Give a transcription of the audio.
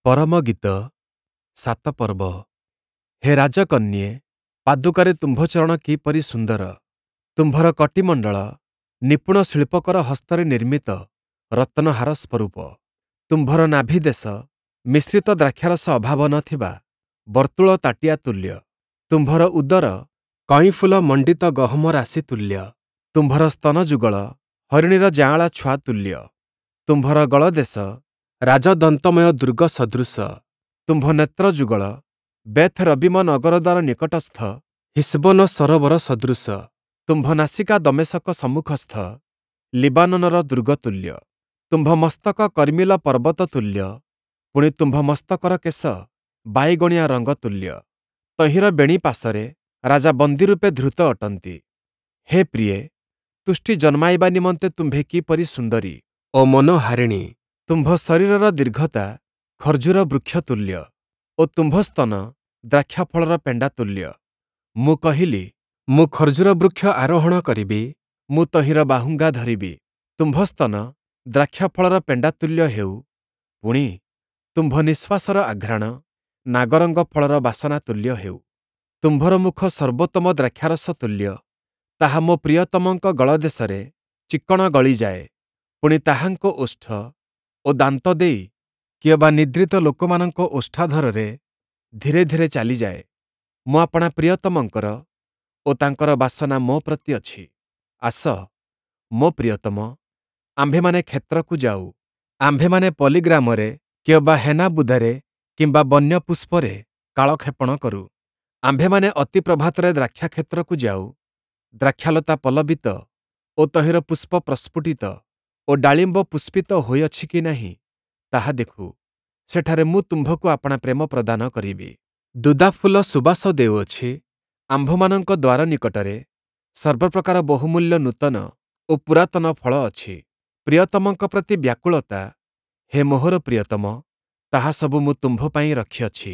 ପରମଗୀତ 7 ପର୍ବ। ହେ ରାଜକନ୍ୟେ, ପାଦୁକାରେ ତୁମ୍ଭ ଚରଣ କିପରି ସୁନ୍ଦର! ତୁମ୍ଭର କଟିମଣ୍ଡଳ ନିପୁଣ ଶିଳ୍ପକର ହସ୍ତରେ ନିର୍ମିତ ରତ୍ନହାର ସ୍ୱରୂପ। ତୁମ୍ଭର ନାଭିଦେଶ ମିଶ୍ରିତ ଦ୍ରାକ୍ଷାରସ ଅଭାବ ନ ଥିବା ବର୍ତ୍ତୁଳ ତାଟିଆ ତୁଲ୍ୟ। ତୁମ୍ଭର ଉଦର କଇଁଫୁଲ ମଣ୍ଡିତ ଗହମ ରାଶି ତୁଲ୍ୟ। ତୁମ୍ଭର ସ୍ତନଯୁଗଳ ହରିଣୀର ଯାଆଁଳା ଛୁଆ ତୁଲ୍ୟ। ତୁମ୍ଭର ଗଳଦେଶ ରାଜଦନ୍ତମୟ ଦୁର୍ଗ ସଦୃଶ। ତୁମ୍ଭ ନେତ୍ରଯୁଗଳ ବେଥ୍ ରବୀମ ନଗରଦ୍ୱାର ନିକଟସ୍ଥ ହିଷ୍ବୋନ ସରୋବର ସଦୃଶ। ତୁମ୍ଭ ନାସିକା ଦମେଶକ ସମ୍ମୁଖସ୍ଥ ଲିବାନୋନର ଦୁର୍ଗ ତୁଲ୍ୟ। ତୁମ୍ଭ ମସ୍ତକ କର୍ମିଲ ପର୍ବତ ତୁଲ୍ୟ, ପୁଣି ତୁମ୍ଭ ମସ୍ତକର କେଶ ବାଇଗଣିଆ ରଙ୍ଗ ତୁଲ୍ୟ। ତହିଁର ବେଣୀ ପାଶରେ ରାଜା ବନ୍ଦୀରୂପେ ଧୃତ ଅଟନ୍ତି। ହେ ପ୍ରିୟେ, ତୁଷ୍ଟି ଜନ୍ମାଇବା ନିମନ୍ତେ ତୁମ୍ଭେ କିପରି ସୁନ୍ଦରୀ ଓ ମନୋହାରିଣୀ! ତୁମ୍ଭ ଶରୀରର ଦୀର୍ଘତା ଖର୍ଜୁର ବୃକ୍ଷ ତୁଲ୍ୟ ଓ ତୁମ୍ଭ ସ୍ତନ ଦ୍ରାକ୍ଷାଫଳର ପେଣ୍ଡା ତୁଲ୍ୟ। ମୁଁ କହିଲି, ମୁଁ ଖର୍ଜୁର ବୃକ୍ଷ ଆରୋହଣ କରିବି, ମୁଁ ତହିଁର ବାହୁଙ୍ଗା ଧରିବି। ତୁମ୍ଭ ସ୍ତନ ଦ୍ରାକ୍ଷାଫଳର ପେଣ୍ଡା ତୁଲ୍ୟ ହେଉ, ପୁଣି ତୁମ୍ଭ ନିଃଶ୍ୱାସର ଆଘ୍ରାଣ ନାଗରଙ୍ଗ ଫଳର ବାସନା ତୁଲ୍ୟ ହେଉ। ତୁମ୍ଭର ମୁଖ ସର୍ବୋତ୍ତମ ଦ୍ରାକ୍ଷାରସ ତୁଲ୍ୟ, ତାହା ମୋ ପ୍ରିୟତମଙ୍କ ଗଳଦେଶରେ ଚିକ୍କଣ ଗଳିଯାଏ, ପୁଣି ତାହାଙ୍କ ଓଷ୍ଠ ଓ ଦାନ୍ତ ଦେଇ କିଅବା ନିଦ୍ରିତ ଲୋକମାନଙ୍କ ଓଷ୍ଠାଧରରେ ଧୀରେ ଧୀରେ ଚାଲିଯାଏ। ମୁଁ ଆପଣା ପ୍ରିୟତମଙ୍କର ଓ ତାଙ୍କର ବାସନା ମୋ ପ୍ରତି ଅଛି। ଆସ, ମୋ ପ୍ରିୟତମ, ଆମ୍ଭେମାନେ କ୍ଷେତ୍ରକୁ ଯାଉ। ଆମ୍ଭେମାନେ ପଲ୍ଲୀଗ୍ରାମରେ କିଅବା ହେନାବୁଦାରେ କିମ୍ବା ବନ୍ୟ ପୁଷ୍ପରେ କାଳକ୍ଷେପଣ କରୁ। ଆମ୍ଭେମାନେ ଅତି ପ୍ରଭାତରେ ଦ୍ରାକ୍ଷାକ୍ଷେତ୍ରକୁ ଯାଉ। ଦ୍ରାକ୍ଷାଲତା ପଲ୍ଲବିତ ଓ ତହିଁର ପୁଷ୍ପ ପ୍ରସ୍ଫୁଟିତ ଓ ଡାଳିମ୍ବ ପୁଷ୍ପିତ ହୋଇଅଛି କି ନାହିଁ, ତାହା ଦେଖୁ। ସେଠାରେ ମୁଁ ତୁମ୍ଭକୁ ଆପଣା ପ୍ରେମ ପ୍ରଦାନ କରିବି। ଦୁଦାଫୁଲ ସୁବାସ ଦେଉଅଛି। ଆମ୍ଭମାନଙ୍କ ଦ୍ୱାର ନିକଟରେ ସର୍ବପ୍ରକାର ବହୁମୂଲ୍ୟ ନୂତନ ଓ ପୁରାତନ ଫଳ ଅଛି। ପ୍ରିୟତମଙ୍କ ପ୍ରତି ବ୍ୟାକୁଳତା, ହେ ମୋହର ପ୍ରିୟତମ, ତାହା ସବୁ ମୁଁ ତୁମ୍ଭ ପାଇଁ ରଖିଅଛି।